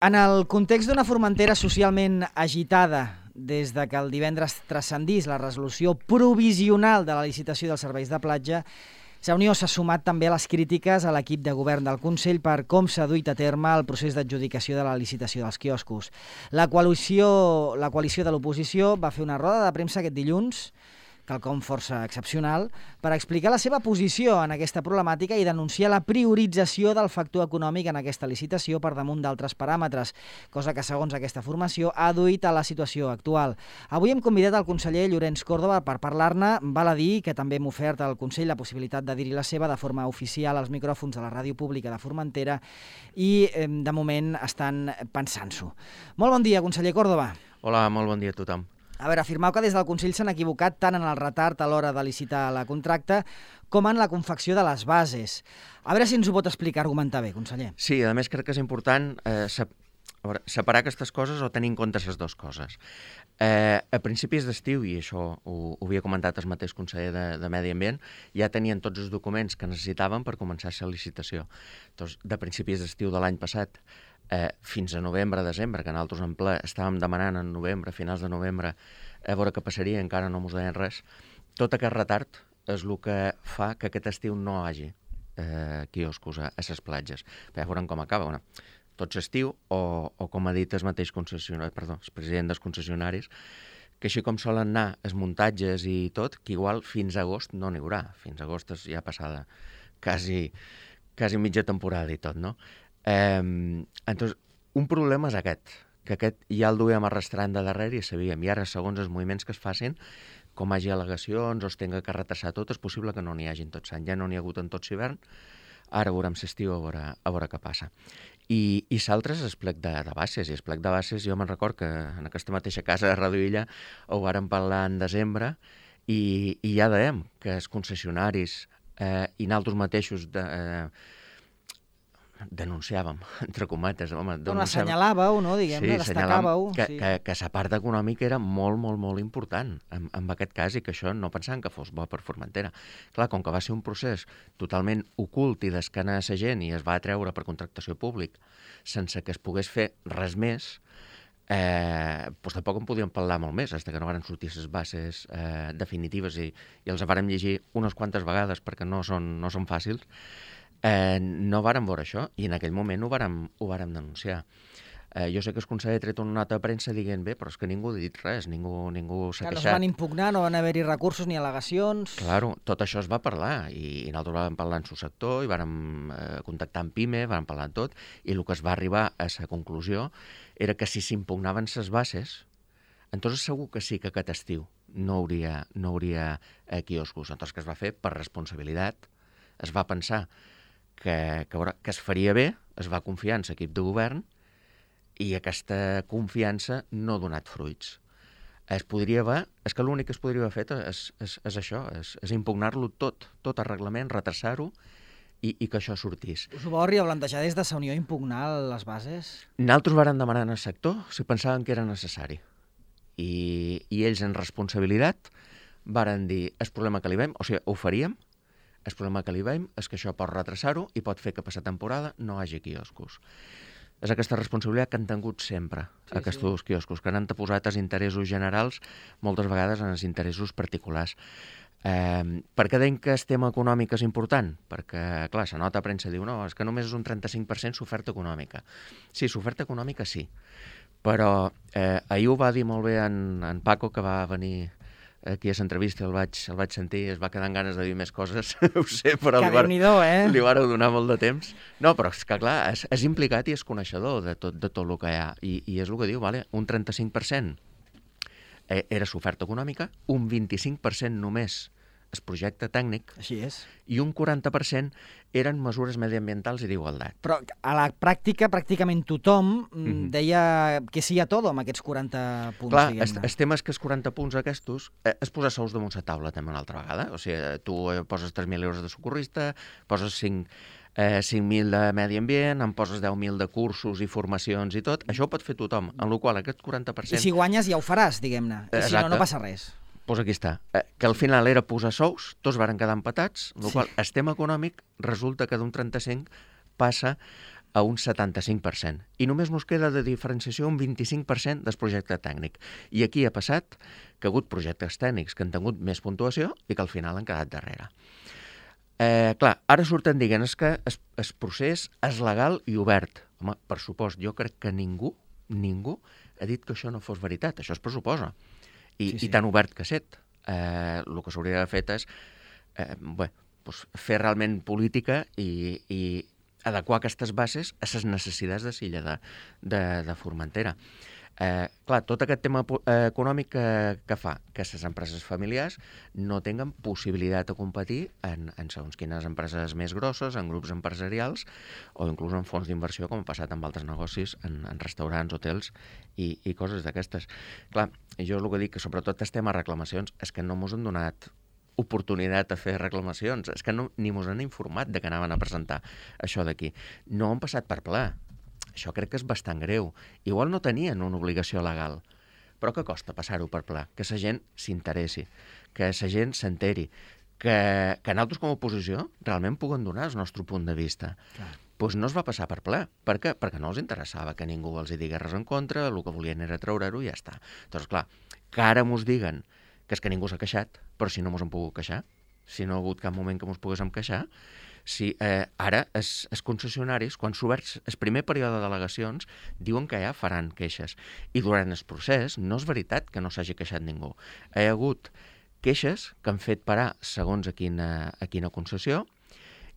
En el context d'una Formentera socialment agitada, des de que el divendres transcendís la resolució provisional de la licitació dels serveis de platja, Unió s'ha sumat també a les crítiques a l'equip de govern del Consell per com s'ha duit a terme el procés d'adjudicació de la licitació dels quioscos. La coalició de l'oposició va fer una roda de premsa aquest dilluns, quelcom força excepcional, per explicar la seva posició en aquesta problemàtica i denunciar la priorització del factor econòmic en aquesta licitació per damunt d'altres paràmetres, cosa que, segons aquesta formació, ha duit a la situació actual. Avui hem convidat el conseller Llorenç Córdoba per parlar-ne. Val a dir que també hem ofert al Consell la possibilitat de dir-hi la seva de forma oficial als micròfons de la ràdio pública de Formentera i, de moment, estan pensant-s'ho. Molt bon dia, conseller Córdoba. Hola, molt bon dia a tothom. A veure, afirmeu que des del Consell s'han equivocat tant en el retard a l'hora de licitar la contracta com en la confecció de les bases. A veure si ens ho pot explicar, argumentar bé, conseller. Sí, a més crec que és important separar aquestes coses o tenir en compte les dues coses. A principis d'estiu, i això ho havia comentat el mateix conseller de Medi Ambient, ja tenien tots els documents que necessitaven per començar la licitació. Doncs, de principis d'estiu de l'any passat fins a novembre-desembre, que nosaltres en ple estàvem demanant en novembre, finals de novembre, a veure què passaria, encara no ens deien res. Tot aquest retard és el que fa que aquest estiu no hi hagi quioscos a les platges. Ja veurem com acaba. Tot l'estiu, o com ha dit el mateix el president dels concessionaris, que així com solen anar els muntatges i tot, que igual fins a agost no n'hi haurà. Fins a agost és ja passada quasi mitja temporada i tot, no? Entonces, un problema és aquest, que aquest ja el duem arrastrant de darrere i sabíem, i ara segons els moviments que es facin, com hi hagi al·legacions o es tenga que retrasar tot, és possible que no n'hi hagin tot l'any, ja no n'hi ha hagut en tot l'hivern, ara veurem l'estiu a veure què passa. I l'altre és el plec de bases, i el plec de bases jo me'n record que en aquesta mateixa casa de Ràdio Illa ho vàrem parlar en desembre i ja dèiem que els concessionaris i nosaltres mateixos denunciàvem, entre cometes, assenyalàveu, no? Diguem-ne, destacàveu. Que la part econòmica era molt, molt, molt important en aquest cas i que això no pensàvem que fos bo per Formentera. Clar, com que va ser un procés totalment ocult i d'escana a la gent i es va atreure per contractació públic sense que es pogués fer res més, doncs tampoc en podíem parlar molt més, fins que no van sortir les bases definitives i els vàrem llegir unes quantes vegades perquè no són fàcils. No vàrem veure això i en aquell moment ho vàrem denunciar. Jo sé que el conseller ha tret una nota de premsa dient bé, però és que ningú ha dit res, ningú s'ha queixat. No es van impugnar, no van haver-hi recursos ni al·legacions. Claro, tot això es va parlar i nosaltres vam parlar en el sector i vàrem contactar amb PIME, vàrem parlar de tot i el que es va arribar a la conclusió era que si s'impugnaven les bases, entonces segur que sí que aquest estiu no hauria quioscos. Entonces què es va fer? Per responsabilitat es va pensar que es faria bé, es va confiar en l'equip de govern i aquesta confiança no ha donat fruits. És que l'únic que es podria haver fet és això, és impugnar-lo tot el reglament, retrasar-ho i que això sortís. Us ho vau arribar a plantejar des de la Unió impugnar les bases? Nosaltres vàrem demanar al sector si pensaven que era necessari. I ells en responsabilitat varen dir el problema que li veiem, o sigui, ho faríem. El problema que li veiem és que això pot retrasar-ho i pot fer que per la temporada no hi hagi quioscos. És aquesta responsabilitat que han tingut sempre, aquests quioscos, que han posat els interessos generals moltes vegades en els interessos particulars. Per què deim que el tema econòmic és important? Perquè, clar, la nota de premsa diu no, és que només és un 35% l'oferta econòmica. Sí, l'oferta econòmica sí, però ahir ho va dir molt bé en Paco, que va venir aquí a l'entrevista, el vaig sentir, es va quedar amb ganes de dir més coses, ho sé, però li vareu donar molt de temps. No, però és que clar, és implicat i és coneixedor de tot el que hi ha, i és el que diu, un 35% era l'oferta econòmica, un 25% només el projecte tècnic, així és, i un 40% eren mesures mediambientals i d'igualtat. Però a la pràctica, pràcticament tothom deia que sí a tot amb aquests 40 punts, clar, diguem-ne. El tema és que els 40 punts aquests és posar sous damunt la taula també una altra vegada. O sigui, tu poses 3.000 euros de socorrista, poses 5.000 de medi ambient, en poses 10.000 de cursos i formacions i tot. Això ho pot fer tothom, en el qual aquest 40%... I si guanyes ja ho faràs, diguem-ne. I si no, no passa res. Doncs aquí està, que al final era posar sous, tots varen quedar empatats, amb la qual el tema econòmic resulta que d'un 35 passa a un 75%. I només ens queda de diferenciació un 25% del projecte tècnic. I aquí ha passat que ha hagut projectes tècnics que han tingut més puntuació i que al final han quedat darrere. Clar, ara surten dient que el procés és legal i obert. Home, per supost, jo crec que ningú ha dit que això no fos veritat. Això es pressuposa. I tan obert que set. El que s'hauria d'haver fet és fer realment política i adequar aquestes bases a les necessitats de l'illa de Formentera. Clar, tot aquest tema econòmic que fa que les empreses familiars no tinguen possibilitat de competir en segons quines empreses més grosses, en grups empresarials o inclús en fons d'inversió, com ha passat amb altres negocis, en restaurants, hotels i coses d'aquestes. Clar, jo el que dic, que sobretot el tema reclamacions, és que no mos han donat oportunitat de fer reclamacions. És que ni mos han informat de que anaven a presentar això d'aquí. No han passat per ple. Això crec que és bastant greu. Igual no tenien una obligació legal, però que costa passar-ho per ple? Que la gent s'interessi, que la gent s'enteri, que nosaltres com a oposició realment puguem donar el nostre punt de vista. Doncs no es va passar per ple. Per què? Perquè no els interessava que ningú els hi digués res en contra, el que volien era treure-ho i ja està. Doncs clar, que ara mos diguen que és que ningú s'ha queixat, però si no mos hem pogut queixar, si no ha hagut cap moment que mos poguéssim queixar, si ara els concessionaris, quan s'ha obert el primer període de delegacions, diuen que ja faran queixes. I durant el procés no és veritat que no s'hagi queixat ningú. Hi ha hagut queixes que han fet parar segons a quina concessió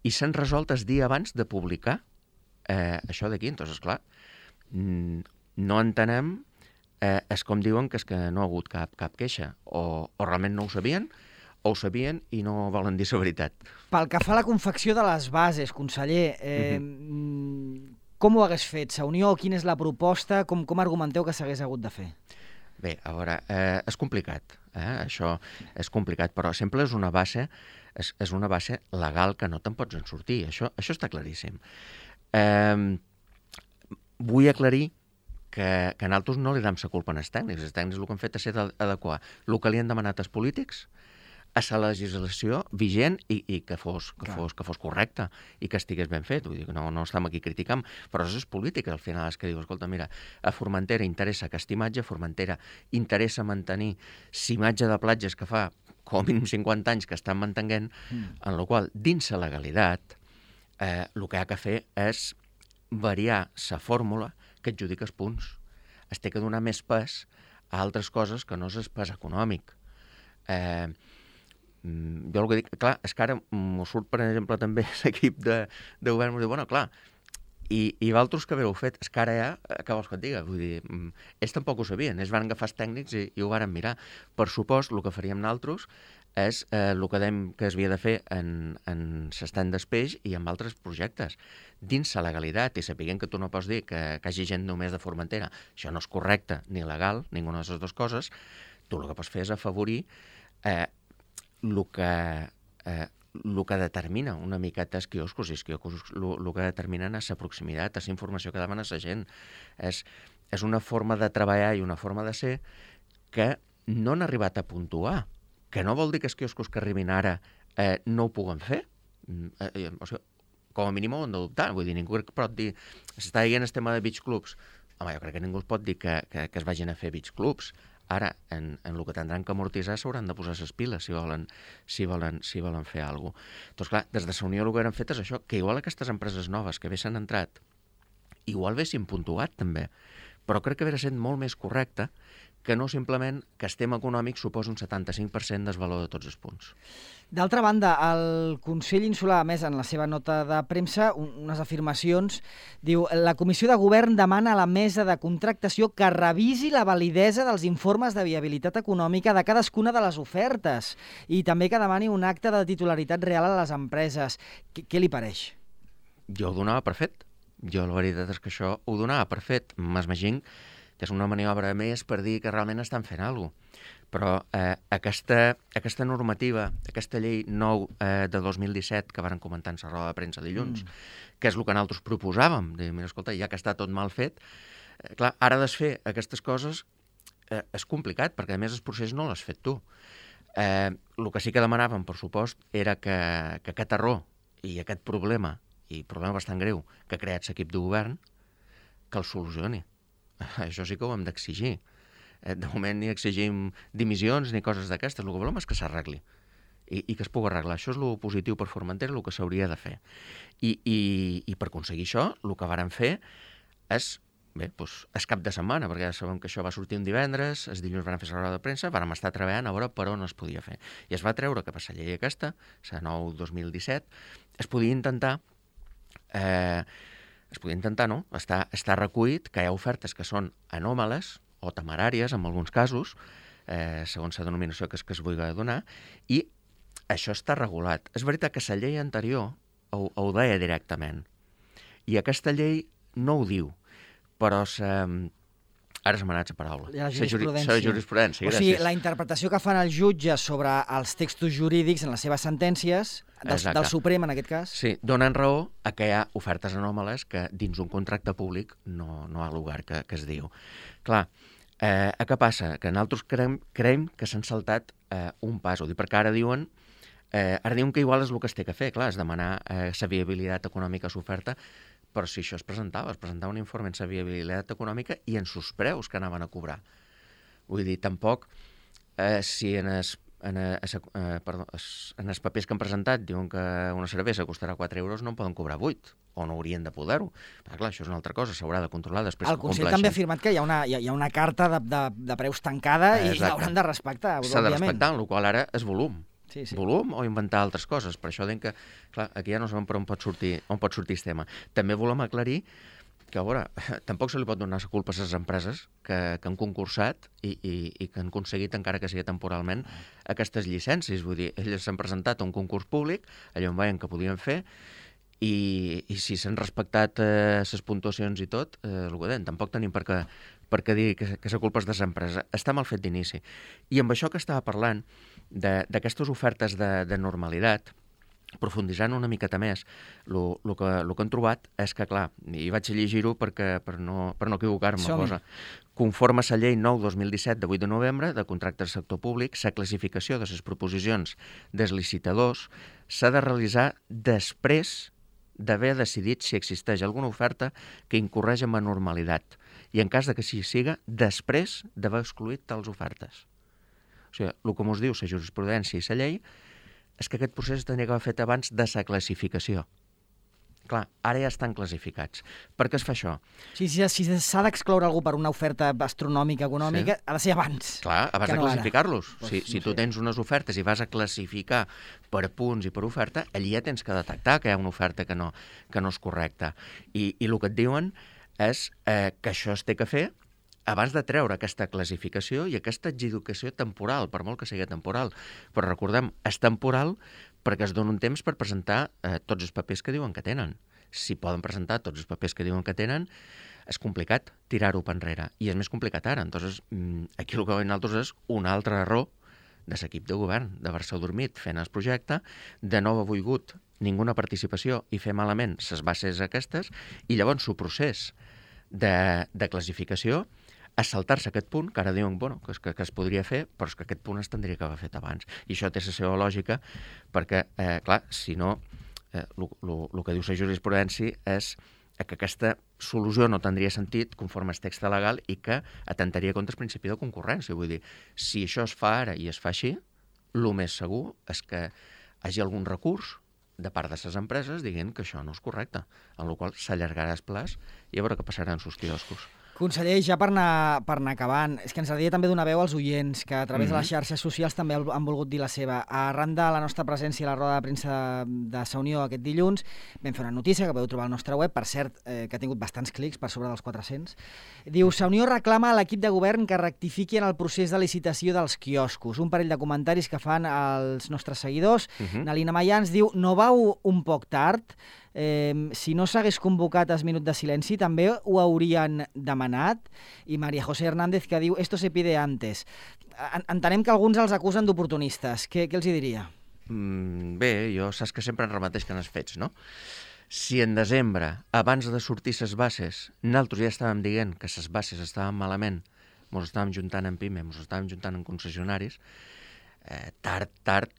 i s'han resolt el dia abans de publicar això d'aquí. Entonces, clar, no entenem és com diuen que és que no ha hagut cap queixa. O realment no ho sabien, o ho sabien i no volen dir la veritat. Pel que fa a la confecció de les bases, conseller, com ho hagués fet? La Unió, quina és la proposta? Com argumenteu que s'hagués hagut de fer? Bé, a veure, és complicat. Això és complicat, però sempre és una base legal que no te'n pots en sortir. Això està claríssim. Vull aclarir que nosaltres no li dam la culpa als tècnics. Els tècnics el que han fet és adequar el que li han demanat als polítics a la legislació vigent i que fos correcta i que estigués ben fet. Vull dir que no estem aquí criticant, però és política al final és que diu, escolta, mira, a Formentera interessa aquesta imatge, a Formentera interessa mantenir l'imatge de platges que fa com a mínim 50 anys que estan mantenint, en la qual, dins la legalitat, el que ha de fer és variar la fórmula que adjudica els punts. Es té que donar més pes a altres coses que no és el pes econòmic. Jo el que dic, clar, és que ara m'ho surt, per exemple, també l'equip de govern, m'ho diu, bueno, clar, i vosaltres que havíeu fet, és que ara ja, què vols que et diga? Vull dir, ells tampoc ho sabien, ells van agafar els tècnics i ho varen mirar. Per supost, el que faríem nosaltres és el que dèiem que es havia de fer en l'estand d'espeix i en altres projectes, dins la legalitat, i sapiguem que tu no pots dir que hagi gent només de Formentera. Això no és correcte ni legal, ninguna de les dues coses. Tu el que pots fer és afavorir el que determina una miqueta els quioscos, i els quioscos el que determinen és la proximitat, és la informació que demanen a la gent. És una forma de treballar i una forma de ser que no han arribat a puntuar, que no vol dir que els quioscos que arribin ara no ho puguen fer. O sigui, com a mínim ho han d'adoptar. Vull dir, ningú pot dir... S'està dient el tema de beach clubs. Home, jo crec que ningú es pot dir que es vagin a fer beach clubs. Ara, en el que tindran que amortitzar s'hauran de posar les piles si volen fer alguna cosa. Doncs clar, des de la Unió el que han fet és això, que igual aquestes empreses noves que bé s'han entrat, igual haguessin puntuat també, però crec que hauria estat molt més correcte que no simplement que el tema econòmic suposa un 75% del valor de tots els punts. D'altra banda, el Consell Insular, a més, en la seva nota de premsa, unes afirmacions, diu: la Comissió de Govern demana a la mesa de contractació que revisi la validesa dels informes de viabilitat econòmica de cadascuna de les ofertes i també que demani un acte de titularitat real a les empreses. Què li pareix? Jo ho donava per fet. Jo la veritat és que això ho donava per fet. M'imagino que és una maniobra més per dir que realment estan fent alguna cosa. Però aquesta normativa, aquesta llei 9 de 2017 que varen comentar en la roda de premsa dilluns, que és el que nosaltres proposàvem, de dir, mira, escolta, ja que està tot mal fet, clar, ara desfer aquestes coses és complicat, perquè a més el procés no l'has fet tu. El que sí que demanàvem, per supost, era que aquest error i aquest problema i problema bastant greu, que ha creat l'equip de govern, que el solucioni. Això sí que ho hem d'exigir. De moment ni exigim dimissions ni coses d'aquestes. El que volem és que s'arregli i que es pugui arreglar. Això és el positiu per Formentera, el que s'hauria de fer. I per aconseguir això, el que vàrem fer és, bé, doncs, és cap de setmana, perquè ja sabem que això va sortir un divendres, els dilluns van fer la roda de premsa, vàrem estar treballant a veure per on es podia fer. I es va treure que per la llei aquesta, la 9/2017, es podia intentar no? Està recollit que hi ha ofertes que són anòmales o temeràries, en alguns casos, segons la denominació que es vulgui donar, i això està regulat. És veritat que la llei anterior ho deia directament, i aquesta llei no ho diu, però ara se m'ha anat la paraula. La jurisprudència. La jurisprudència, gràcies. O sigui, la interpretació que fan els jutges sobre els textos jurídics en les seves sentències, del Suprem en aquest cas... Sí, donen raó a que hi ha ofertes anòmales que dins un contracte públic no hi ha lugar que es diu. Clar, què passa? Que nosaltres creiem que s'han saltat un pas. Ho dic perquè ara diuen que igual és el que es té que fer, clar, és demanar la viabilitat econòmica a l'oferta, però si això es presentava un informe en la viabilitat econòmica i en sus preus que anaven a cobrar. Vull dir, tampoc, si en els papers que han presentat diuen que una cervesa costarà 4 euros, no en poden cobrar 8, o no haurien de poder-ho. Però clar, això és una altra cosa, s'haurà de controlar després. El Consell també ha afirmat que hi ha una carta de preus tancada i l'hauran de respectar, òbviament. S'ha de respectar, el qual ara és volum. Sí. Volum o inventar altres coses. Per això que, clar, aquí ja no sabem per on pot sortir el tema. També volem aclarir que, a veure, tampoc se li pot donar la culpa a les empreses que han concursat i que han aconseguit, encara que sigui temporalment, aquestes llicències. Vull dir, elles s'han presentat a un concurs públic, allò on veien que podien fer, i si s'han respectat les puntuacions i tot, el que deien, tampoc tenim per què dir que la culpa és de l'empresa. Està mal fet d'inici. I amb això que estava parlant, d'aquestes ofertes de normalitat, profunditzant una miqueta més, el que han trobat és que, clar, i vaig a llegir-ho per no equivocar-me, cosa. Conforme a la llei 9/2017 de 8 de novembre de contractes del sector públic, la classificació de les proposicions dels licitadors s'ha de realitzar després d'haver decidit si existeix alguna oferta que incorreix en anormalitat i en cas de que sí siga, després d'haver excluït tals ofertes. O sigui, el que ens diu la jurisprudència i la llei és que aquest procés tenia que haver fet abans de la classificació. Clar, ara ja estan classificats. Per què es fa això? Si s'ha d'excloure algú per una oferta astronòmica, econòmica, ha de ser abans. Clar, abans de classificar-los. Si tu tens unes ofertes i vas a classificar per punts i per oferta, allí ja tens que detectar que hi ha una oferta que no és correcta. I el que et diuen és que això es té que fer abans de treure aquesta classificació i aquesta adjudicació temporal, per molt que sigui temporal. Però recordem, és temporal perquè es dona un temps per presentar tots els papers que diuen que tenen. Si poden presentar tots els papers que diuen que tenen, és complicat tirar-ho per enrere. I és més complicat ara. Entonces, aquí el que veiem nosaltres és un altre error de l'equip de govern, d'haver-se adormit fent el projecte, de no haver volgut ninguna participació i fer malament les bases aquestes, i llavors el procés de classificació és saltar-se aquest punt, que ara diuen que es podria fer, però és que aquest punt es tindria que haver fet abans. I això té la seva lògica, perquè, clar, si no, el que diu la jurisprudència és que aquesta solució no tindria sentit conforme al text legal i que atentaria contra el principi de concurrència. Vull dir, si això es fa ara i es fa així, el més segur és que hi hagi algun recurs de part de les empreses dient que això no és correcte, en la qual s'allargarà el plaç i a veure què passarà en els quioscos. Conseller, ja per anar acabant, és que ens agradaria també donar veu als oients que a través de les xarxes socials també han volgut dir la seva. Arran de la nostra presència a la roda de premsa de la Unió aquest dilluns, vam fer una notícia que podeu trobar al nostre web, per cert, que ha tingut bastants clics, per sobre dels 400. Diu, la Unió reclama a l'equip de govern que rectifiqui en el procés de licitació dels quioscos. Un parell de comentaris que fan els nostres seguidors. Nalina Maià ens diu, no vau un poc tard? Si no s'hagués convocat el minut de silenci també ho haurien demanat. I María José Hernández que diu esto se pide antes. Entenem que alguns els acusen d'oportunistes. Què els hi diria? Bé, jo saps que sempre en repeteix que n'has fets, no? Si en desembre, abans de sortir les bases, nosaltres ja estàvem dient que les bases estaven malament, ens estàvem juntant en PIME, ens estàvem juntant en concessionaris, tard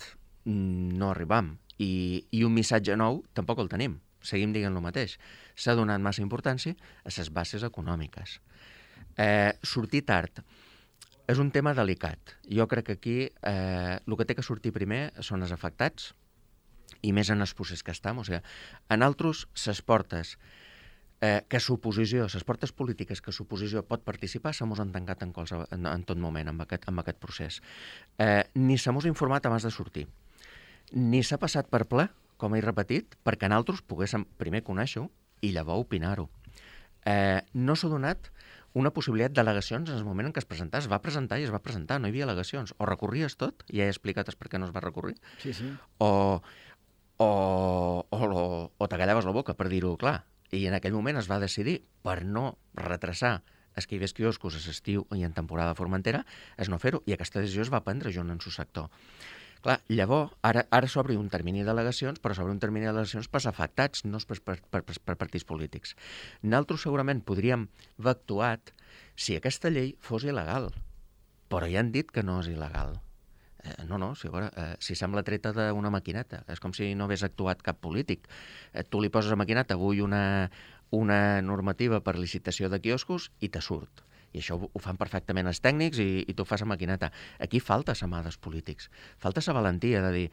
no arribam. I un missatge nou tampoc el tenim. seguim dient el mateix. S'ha donat massa importància a les bases econòmiques. Sortir tard és un tema delicat. Jo crec que aquí el que té que sortir primer són els afectats, i més en els procés que estem. O sigui, en altres, les portes que s'oposició, les portes polítiques que s'oposició pot participar, se mos han tancat en tot moment amb aquest procés. Ni se mos ha informat abans de sortir, ni s'ha passat per ple, com he repetit, perquè nosaltres poguéssim primer conèixer-ho i llavors opinar-ho. No s'ha donat una possibilitat d'al·legacions en el moment en què es presentava. Es va presentar i es va presentar, no hi havia al·legacions. O recorries tot, ja he explicat per què no es va recórrer, o t'agallaves la boca, per dir-ho clar. I en aquell moment es va decidir, per no retrasar els que hi hagués quioscos a l'estiu i en temporada de Formentera, és no fer-ho, i aquesta decisió es va prendre junt en el sector. Clar, llavors, ara s'obre un termini d'al·legacions, però s'obre un termini d'al·legacions per afectats, no per partits polítics. Nosaltres segurament podríem haver actuat si aquesta llei fos il·legal, però ja han dit que no és il·legal. Si sembla treta d'una maquineta. És com si no hagués actuat cap polític. Tu li poses a maquineta, vull una normativa per licitació de quioscos, i te surt. I això ho fan perfectament els tècnics i tu fas a maquineta. Aquí falta la mà dels polítics. Falta la valentia de dir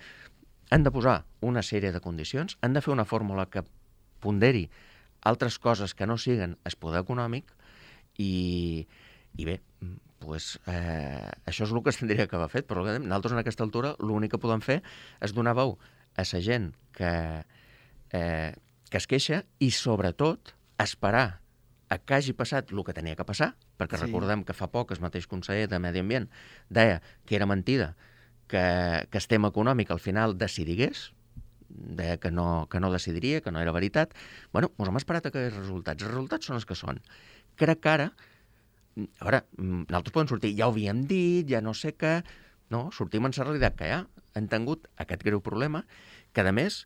han de posar una sèrie de condicions, han de fer una fórmula que ponderi altres coses que no siguen el poder econòmic i bé, pues, això és el que es tindria que haver fet, però nosaltres en aquesta altura l'únic que podem fer és donar veu a la gent que es queixa i sobretot esperar a que hagi passat el que tenia que passar, perquè recordem que fa poc el mateix conseller de Medi Ambient deia que era mentida que el tema econòmic al final decidigués, deia que no decidiria, que no era veritat. Bueno, ens hem esperat a aquests resultats. Els resultats són els que són. Crec que ara, a veure, nosaltres podem sortir, ja ho havíem dit, ja no sé què, no, sortim en la realitat que ja han tingut aquest greu problema, que a més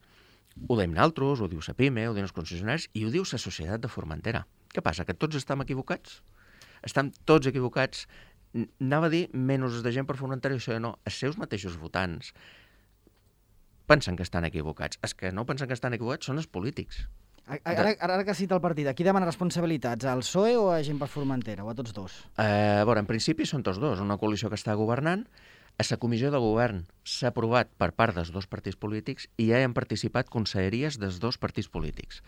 ho diem nosaltres, ho diu la PIME, ho diuen els concessionaris i ho diu la societat de Formentera. Què passa, que tots estem equivocats? Estem tots equivocats. Anava a dir menys de gent per Formentera, això no. Els seus mateixos votants pensen que estan equivocats. Els que no pensen que estan equivocats són els polítics. Ara que cita el partit, a qui demana responsabilitats? Al PSOE o a gent per Formentera? O a tots dos? En principi són tots dos. Una coalició que està governant. A la comissió de govern s'ha aprovat per part dels dos partits polítics i ja hi han participat conselleries dels dos partits polítics.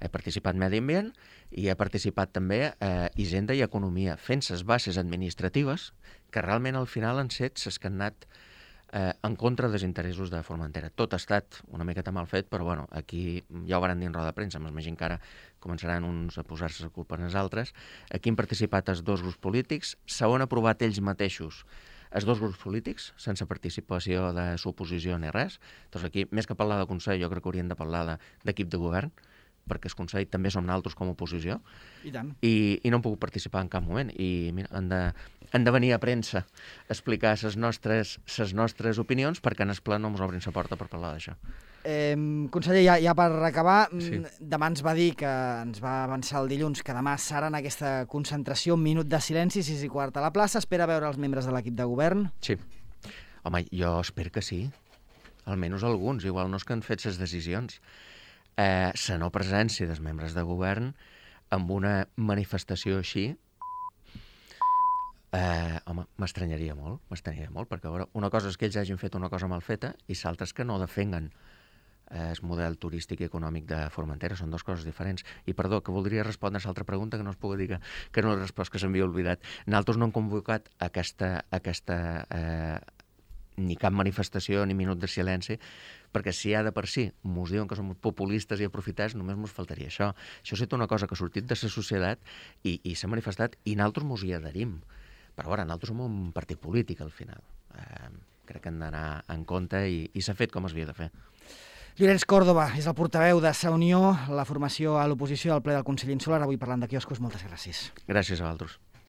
He participat Medi Ambient i he participat també Hisenda i Economia, fent les bases administratives que realment al final han set les que han anat en contra dels interessos de Formentera. Tot ha estat una miqueta mal fet, però bueno, aquí ja ho van dir en roda de premsa, m'imagino que ara començaran uns a posar-se la culpa en els altres. Aquí han participat els dos grups polítics, s'ho han aprovat ells mateixos els dos grups polítics, sense participació de l'oposició ni res. Doncs aquí, més que parlar de Consell, jo crec que haurien de parlar d'equip de govern, perquè el Consell també som nosaltres com a oposició. I tant. I no han pogut participar en cap moment. I mira, han de venir a premsa a explicar les nostres opinions, perquè en el ple no ens obrin la porta per parlar d'això. Conseller, ja per acabar, demà ens va dir que ens va avançar el dilluns que demà serà en aquesta concentració, un minut de silenci, 6:15 a la plaça. Espera veure els membres de l'equip de govern? Sí. Home, jo espero que sí. Almenys alguns, igual no és que han fet les decisions. La no presència dels membres de govern amb una manifestació així, home, m'estranyaria molt, perquè a veure, una cosa és que ells hagin fet una cosa mal feta i l'altra és que no defenguen el model turístic i econòmic de Formentera. Són dues coses diferents. I perdó, que voldria respondre a l'altra pregunta, que no es pugui dir que no he respost, que s'havia oblidat. Nosaltres no hem convocat aquesta ni cap manifestació ni minut de silenci, perquè si ja de per si mos diuen que som populistes i aprofitats, només mos faltaria això. Això ha estat una cosa que ha sortit de la societat i s'ha manifestat i nosaltres mos hi adherim. Però ara, nosaltres som un partit polític al final. Crec que hem d'anar en compte i s'ha fet com es havia de fer. Llorenç Córdoba és el portaveu de Sa Unió, la formació a l'oposició al ple del Consell Insular, avui parlant de quioscos. Moltes gràcies. Gràcies a vosaltres.